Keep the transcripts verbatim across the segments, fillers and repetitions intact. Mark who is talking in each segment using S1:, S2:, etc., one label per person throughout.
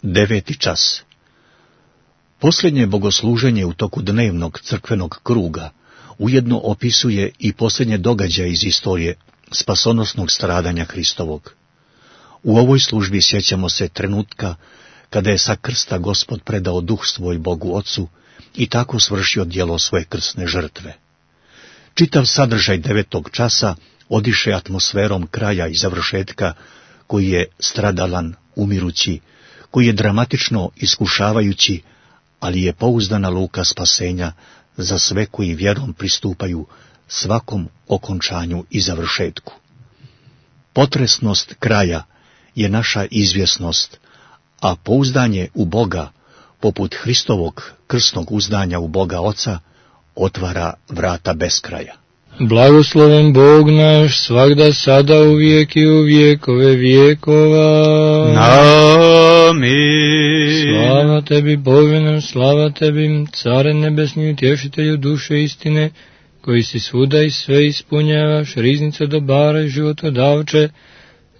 S1: Deveti čas. Posljednje bogosluženje u toku dnevnog crkvenog kruga ujedno opisuje i posljednje događaje iz istorije spasonosnog stradanja Hristovog. U ovoj službi sjećamo se trenutka kada je sa krsta Gospod predao duh svoj Bogu Ocu i tako svršio djelo svoje krsne žrtve. Čitav sadržaj devetog časa odiše atmosferom kraja i završetka, koji je stradalan, umirući, koji je dramatično iskušavajući, ali je pouzdana luka spasenja za sve koji vjerom pristupaju svakom okončanju i završetku. Potresnost kraja je naša izvjesnost, a pouzdanje u Boga, poput Hristovog krsnog uzdanja u Boga Oca, otvara vrata beskraja.
S2: Blagosloven Bog naš, svagda, sada, uvijek i u vijekove vijekova.
S3: Amin.
S2: Slava tebi, Bože naš, slava tebi, Care nebesni, utješitelju duše istine, koji si svuda i sve ispunjavaš, riznica dobara i životodavče,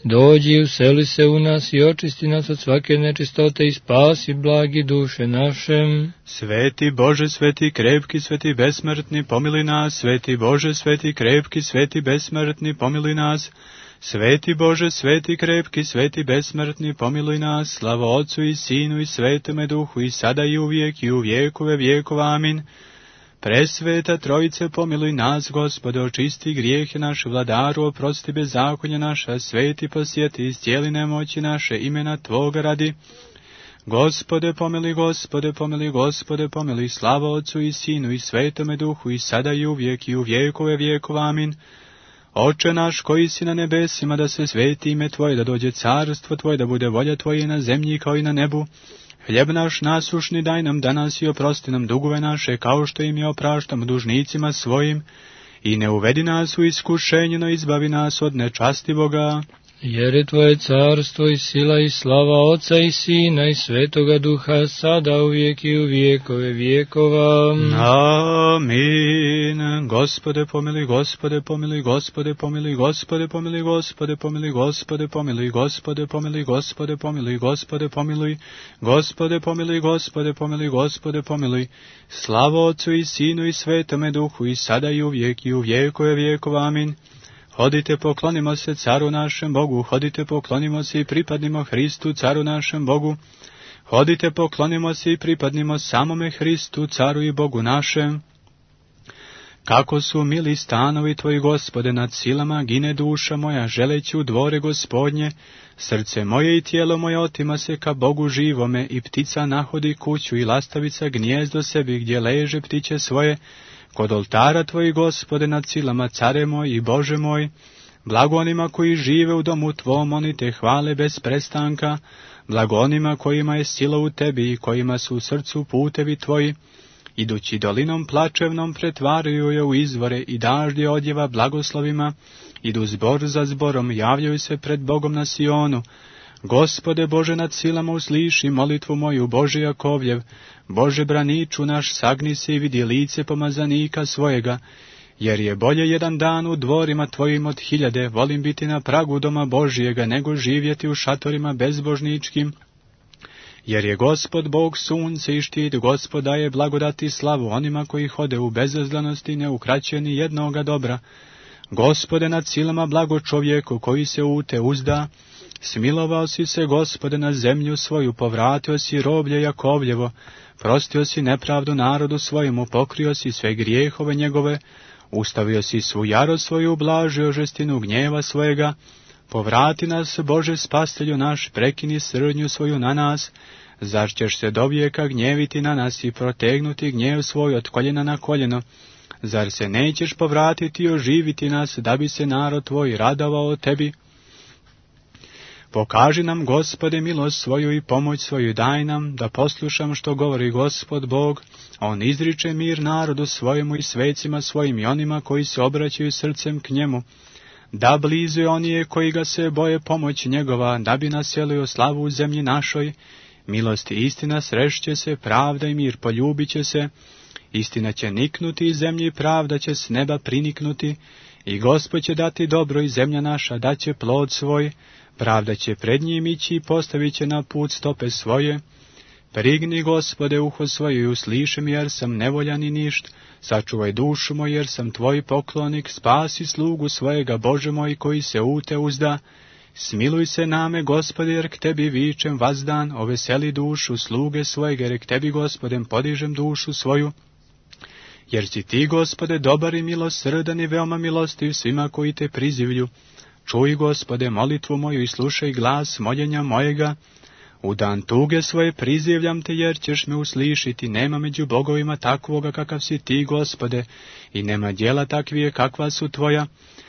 S2: dođi i useli se u nas i očisti nas od svake nečistote i spasi blagi duše našem.
S3: Sveti Bože, sveti krepki, sveti besmrtni, pomili nas. Sveti Bože, sveti krepki, sveti besmrtni, pomili nas. Sveti Bože, sveti krepki, sveti besmrtni, pomiluj nas. Slava Otcu i Sinu i Svetome Duhu, i sada i uvijek i u vijekove vijekova. Amin. Presveta Trojice, pomiluj nas, Gospode, očisti grijehe naše, Vladaru, oprosti bezakonje naša, sveti posjeti, iscijeli nemoći naše, imena Tvoga radi. Gospode, pomiluj, Gospode, pomiluj, Gospode, pomiluj, slava Otcu i Sinu i Svetome Duhu, i sada i uvijek i u vijekove vijekova. Amin. Oče naš koji si na nebesima, da se sveti ime Tvoje, da dođe carstvo Tvoje, da bude volja Tvoje na zemlji kao i na nebu. Hljeb naš nasušni daj nam danas i oprosti nam dugove naše, kao što im je opraštamo dužnicima svojim. I ne uvedi nas u iskušenje, no izbavi nas od nečastivoga.
S2: Jer je Tvoje carstvo i sila i slava Oca i Sina i Svetoga Duha, sada, uvijek i u vijekove vijekova.
S3: Amin. Gospode pomiluj, Gospode pomiluj, Gospode pomiluj, Gospode pomiluj, Gospode pomiluj, Gospode pomiluj, Gospode pomiluj, Gospode pomiluj, Gospode pomiluj, Gospode pomiluj, Gospode pomiluj, Gospode pomiluj. Slava Otcu i Sinu i Svetome Duhu, i sada i uvijek i u vijekove vijekova. Amin. Hodite, poklonimo se Caru našem Bogu, hodite, poklonimo se i pripadnimo Hristu, Caru našem Bogu. Hodite, poklonimo se i pripadnimo samome Hristu, Caru i Bogu našem. Kako su mili stanovi Tvoji, Gospode, nad silama gine duša moja, želeći u dvore Gospodnje. Srce moje i tijelo moje otima se ka Bogu živome, i ptica nahodi kuću i lastavica gnijezdo sebi, gdje leže ptiće svoje. Kod oltara Tvoji, Gospode, nad silama, Care moj i Bože moj. Blago onima koji žive u domu Tvom, oni Te hvale bez prestanka. Blago onima kojima je sila u Tebi i kojima su u srcu putevi Tvoji. Idući dolinom plačevnom pretvaraju je u izvore i daždje odjeva blagoslovima. Idu zbor za zborom, javljaju se pred Bogom na Sionu. Gospode Bože nad silama, usliši molitvu moju, Bože Jakovljev. Bože braniču naš, sagni se i vidi lice pomazanika svojega. Jer je bolje jedan dan u dvorima Tvojim od hiljade, volim biti na pragu doma Božijega, nego živjeti u šatorima bezbožničkim. Jer je Gospod Bog sunce i štit, Gospod daje blagodati i slavu onima koji hode u bezazlanosti, ne ukraćuje ni jednoga dobra. Gospode nad silama, blago čovjeku koji se u Te uzda. Smilovao si se, Gospode, na zemlju svoju, povratio si roblje Jakovljevo, prostio si nepravdu narodu svojemu, pokrio si sve grijehove njegove, ustavio si svu jarost svoju, ublažio žestinu gnjeva svojega. Povrati nas, Bože spastelju naš, prekini srdnju svoju na nas. Zar ćeš se dovijeka gnjeviti na nas i protegnuti gnjev svoj od koljena na koljeno? Zar se nećeš povratiti i oživiti nas, da bi se narod Tvoj radovao Tebi? Pokaži nam, Gospode, milost svoju i pomoć svoju daj nam, da poslušam što govori Gospod Bog. On izriče mir narodu svojemu i svecima svojim i onima koji se obraćaju srcem k njemu. Da blizu je onije koji ga se boje pomoć njegova, da bi naselio slavu u zemlji našoj. Milost i istina srešće se, pravda i mir poljubit će se. Istina će niknuti iz zemlji, pravda će s neba priniknuti. I Gospod će dati dobro i zemlja naša daće plod svoj. Pravda će pred njim ići i postavit će na put stope svoje. Prigni, Gospode, uho svoje i usliši mi, jer sam nevoljan i ništ. Sačuvaj dušu moju, jer sam tvoj poklonik. Spasi slugu svojega, Bože moj, koji se u te uzda. Smiluj se name, Gospode, jer k tebi vičem vazdan. Oveseli dušu sluge svojega, jer k tebi, Gospodem, podižem dušu svoju. Jer si ti, Gospode, dobar i milosrdan i veoma milostiv svima koji te prizivlju. Čuj, Gospode, molitvu moju i slušaj glas moljenja mojega. U dan tuge svoje prizivljam te, jer ćeš me uslišiti. Nema među bogovima takvoga kakav si ti, Gospode, i nema djela takvije kakva su tvoja.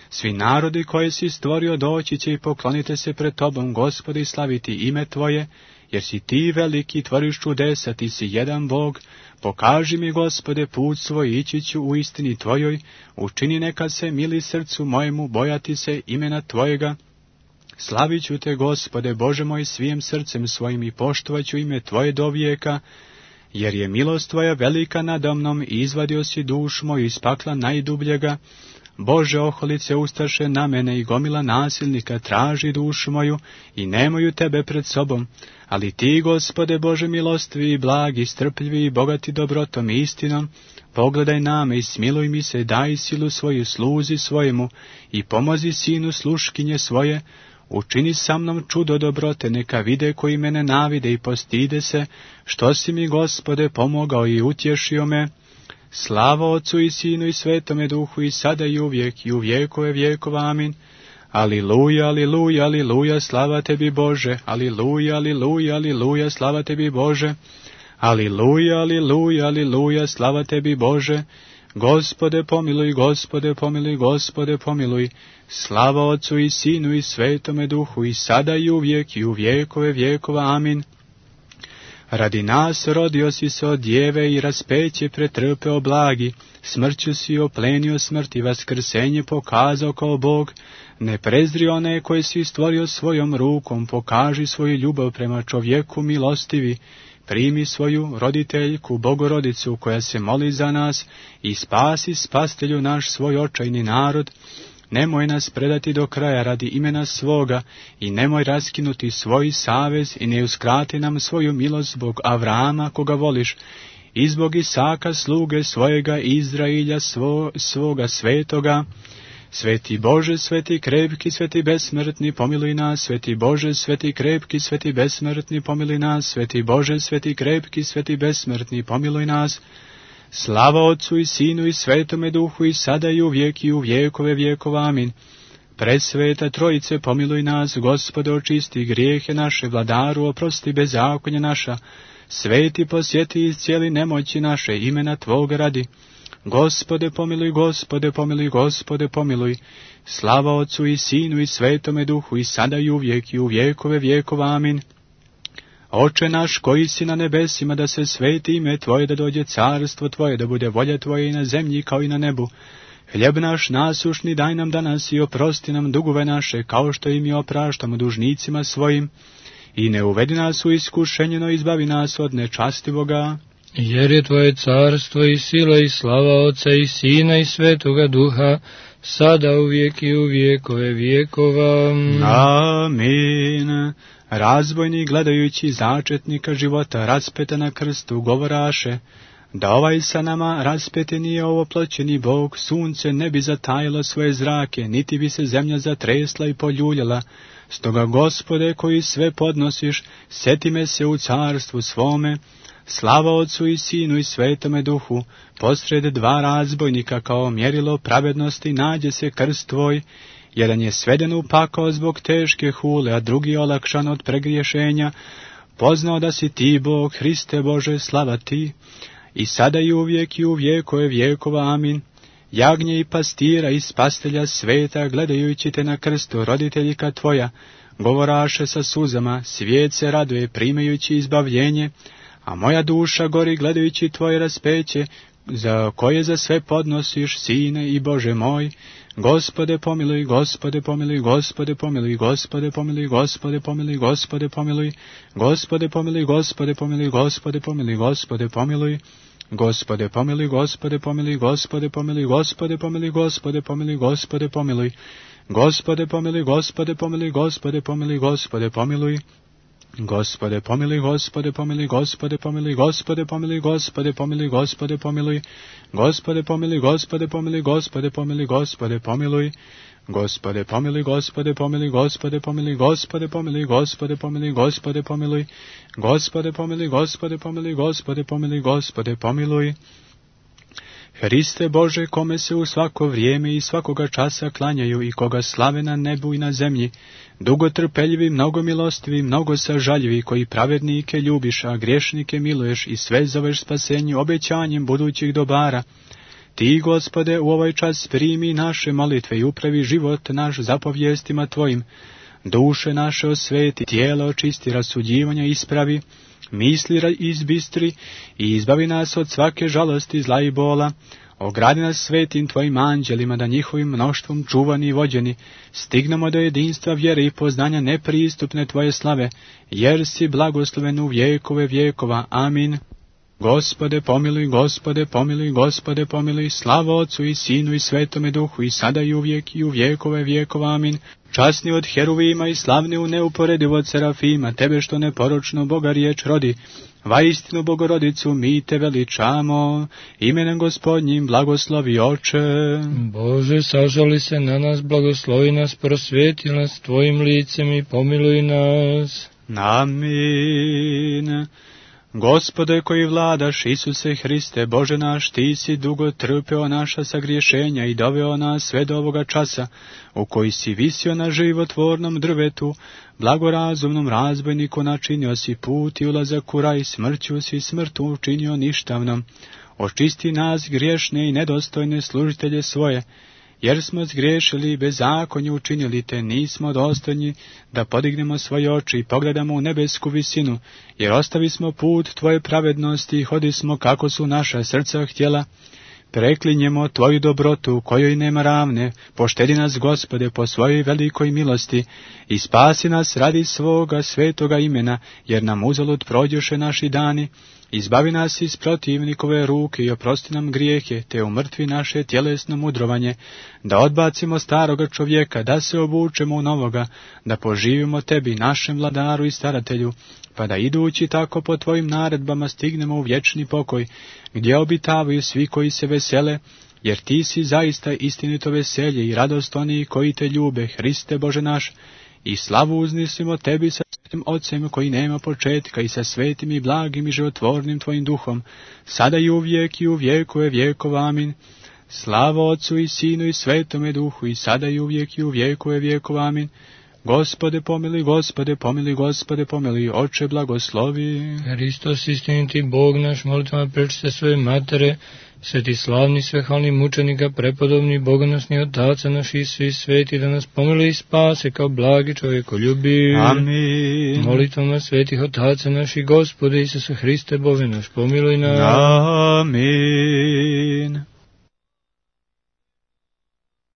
S3: Svi narodi koje si stvorio doći će i poklonite se pred tobom, Gospode, i slaviti ime tvoje, jer si ti veliki, tvoriš čudesa, ti si jedan Bog. Pokaži mi, Gospode, put svoj, ići ću u istini tvojoj. Učini neka se mili srcu mojemu, bojati se imena tvojega. Slavit ću te, Gospode, Bože moj, svim srcem svojim i poštovat ću ime tvoje do vijeka, jer je milost tvoja velika nada mnom i izvadio si dušu moju iz pakla najdubljega. Bože, oholice ustaše na mene i gomila nasilnika traži dušu moju i nemaju tebe pred sobom. Ali ti, Gospode, Bože milostivi i blagi, strpljivi i bogati dobrotom i istinom, pogledaj na me i smiluj mi se, daj silu svoju sluzi svojemu i pomozi sinu sluškinje svoje. Učini sa mnom čudo dobrote, neka vide koji mene navide i postide se, što si mi, Gospode, pomogao i utješio me. Slava Otcu i Sinu i Svetome Duhu i sada i uvijek i u vjekove vjekova. Amin. Aliluja, aliluja, aliluja, slava tebi Bože. Aliluja, aliluja, aliluja, slava tebi Bože. Aliluja, aliluja, aliluja, slava tebi Bože. Gospode pomiluj, Gospode pomiluj, Gospode pomiluj. Slava Otcu i Sinu i Svetome Duhu i sada i uvijek i u vjekove vjekova. Amin. Radi nas rodio si se od djeve i raspeće pretrpeo blagi, smrću si oplenio smrt i vaskrsenje pokazao kao Bog. Ne prezri one koje si stvorio svojom rukom, pokaži svoju ljubav prema čovjeku milostivi. Primi svoju roditeljku, Bogorodicu, koja se moli za nas, i spasi, spastelju naš, svoj očajni narod. Nemoj nas predati do kraja radi imena svoga i nemoj raskinuti svoj savez i ne uskrati nam svoju milost zbog Avrama koga voliš i zbog Isaka sluge svojega, Izrailja svo, svoga svetoga. Sveti Bože, sveti krepki, sveti besmrtni, pomiluj nas. Sveti Bože, sveti krepki, sveti besmrtni, pomiluj nas. Sveti Bože, sveti krepki, sveti besmrtni, pomiluj nas. Slava Otcu i Sinu i Svetome Duhu i sada i uvijek i u vjekove vjekova. Amin. Presveta Trojice, pomiluj nas. Gospode, očisti grijehe naše, Vladaru, oprosti bezakonje naša. Sveti, posjeti iz cijeli nemoći naše, imena Tvoga radi. Gospode, pomiluj, Gospode, pomiluj, Gospode, pomiluj. Slava Otcu i Sinu i Svetome Duhu i sada i uvijek i u vjekove vjekova. Amin. Oče naš koji si na nebesima, da se sveti ime Tvoje, da dođe carstvo Tvoje, da bude volja Tvoja i na zemlji kao i na nebu. Hljeb naš nasušni daj nam danas i oprosti nam dugove naše, kao što i mi opraštamo dužnicima svojim. I ne uvedi nas u iskušenje, no izbavi nas od nečastivoga.
S2: Jer je Tvoje carstvo i sila i slava Otca i Sina i Svetoga Duha, sada uvijek i u vjekove vjekova.
S3: Amin. Razbojnik, gledajući začetnika života, raspeta na krstu, govoraše, da ovaj sa nama raspeti nije ovoploćeni Bog, sunce ne bi zatajilo svoje zrake, niti bi se zemlja zatresla i poljuljala. Stoga, Gospode, koji sve podnosiš, sjeti me se u carstvu svome. Slava Otcu i Sinu i Svetome Duhu, posred dva razbojnika kao mjerilo pravednosti nađe se krst Tvoj. Jedan je sveden u pakao zbog teške hule, a drugi je olakšan od pregriješenja. Poznao da si Ti, Bog, Hriste Bože, slava Ti, i sada i uvijek i u vjekove vjekova. Amin. Jagnje i pastira i spastelja sveta, gledajući te na krstu, roditeljika Tvoja, govoraše sa suzama, svijet se raduje primajući izbavljenje, a moja duša gori gledajući Tvoje raspeće, za koje za sve podnosiš, Sine i Bože moj. Gospode pomiluj, Gospode pomiluj, Gospode pomiluj, Gospode pomiluj, Gospode pomiluj, Gospode pomiluj, Gospode pomiluj, Gospode pomiluj, Gospode pomiluj, Gospode pomiluj, Gospode pomiluj, Gospode pomiluj, Gospode pomiluj, Gospode pomiluj, Gospode pomiluj, Gospode pomiluj, Gospode pomiluj, Gospode pomiluj, Gospode pomiluj, Gospode pomiluj. Gospode pomiluj, Gospode pomiluj, Gospode pomiluj, Gospode pomiluj, Gospode pomiluj, Gospode pomiluj. Gospode pomiluj, Gospode pomiluj, Gospode pomiluj, Gospode pomiluj. Gospode pomiluj, Gospode pomiluj, Gospode pomiluj, Gospode pomiluj, Gospode pomiluj, Gospode pomiluj. Gospode pomiluj, Gospode pomiluj, Gospode pomiluj, Gospode pomiluj. Hriste Bože, kome se u svako vrijeme i svakoga časa klanjaju i koga slave na nebu i na zemlji, dugo trpeljivi, mnogo milostivi, mnogo sažaljivi, koji pravednike ljubiš, a griješnike miluješ i sve zoveš spasenju obećanjem budućih dobara. Ti, Gospode, u ovaj čas primi naše molitve i upravi život naš zapovjestima Tvojim. Duše naše osveti, tijelo očisti, rasuđivanja ispravi, misli izbistri i izbavi nas od svake žalosti, zla i bola. Ogradi nas svetim Tvojim anđelima, da njihovim mnoštvom čuvani i vođeni stignemo do jedinstva vjere i poznanja nepristupne Tvoje slave, jer si blagosloven u vjekove vjekova. Amin. Gospode pomiluj, Gospode pomiluj, Gospode pomiluj, slava Otcu i Sinu i Svetome Duhu, i sada i uvijek i u vjekove vjekova. Amin. Časni od heruvima i slavni u neuporedivo od serafima, Tebe što neporočno Boga riječ rodi, vaistinu Bogorodicu mi Te veličamo, imenem Gospodnjim blagoslovi Oče.
S2: Bože, sažali se na nas, blagoslovi nas, prosvjeti nas Tvojim licem i pomiluj nas.
S3: Amin. Gospode koji vladaš, Isuse Hriste, Bože naš, Ti si dugo trpeo naša sagriješenja i doveo nas sve do ovoga časa, u koji si visio na životvornom drvetu, blagorazumnom razbojniku načinio si put i ulazak u raj, smrću si smrtu učinio ništavnom. Očisti nas griješne i nedostojne služitelje svoje, jer smo zgriješili i bezakonje učinili, te nismo dostojni da podignemo svoje oči i pogledamo u nebesku visinu, jer ostavi smo put Tvoje pravednosti i hodismo kako su naša srca htjela. Preklinjemo Tvoju dobrotu, kojoj nema ravne, poštedi nas, Gospode, po svojoj velikoj milosti i spasi nas radi svoga svetoga imena, jer nam uzalud prođoše naši dani. Izbavi nas iz protivnikove ruke i oprosti nam grijehe, te umrtvi naše tjelesno mudrovanje, da odbacimo staroga čovjeka, da se obučemo u novoga, da poživimo Tebi, našem vladaru i staratelju, pa da idući tako po Tvojim naredbama stignemo u vječni pokoj, gdje obitavaju svi koji se vesele, jer Ti si zaista istinito veselje i radost oni koji Te ljube, Hriste Bože naš, i slavu uznisimo Tebi sa svetim Otcem koji nema početka i sa svetim i blagim i životvornim Tvojim duhom, sada i uvijek i u vjekove vjekova. Amin. Slava Otcu i Sinu i Svetome Duhu, i sada i uvijek i u vjekove vjekova. Amin. Gospode pomiluj, Gospode pomiluj, Gospode pomiluj, Oče blagoslovi.
S2: Hristos istiniti Bog naš, molitvama prečiste svoje matere, sveti slavni svehalni mučenika, prepodobni bogonosni otaca naši i svi sveti, da nas pomili i spase kao blagi čovjekoljubi.
S3: Amin.
S2: Molitvama svetih otaca naši, Gospode Isuse Hriste Bože naš, pomiluj nas.
S3: Amin.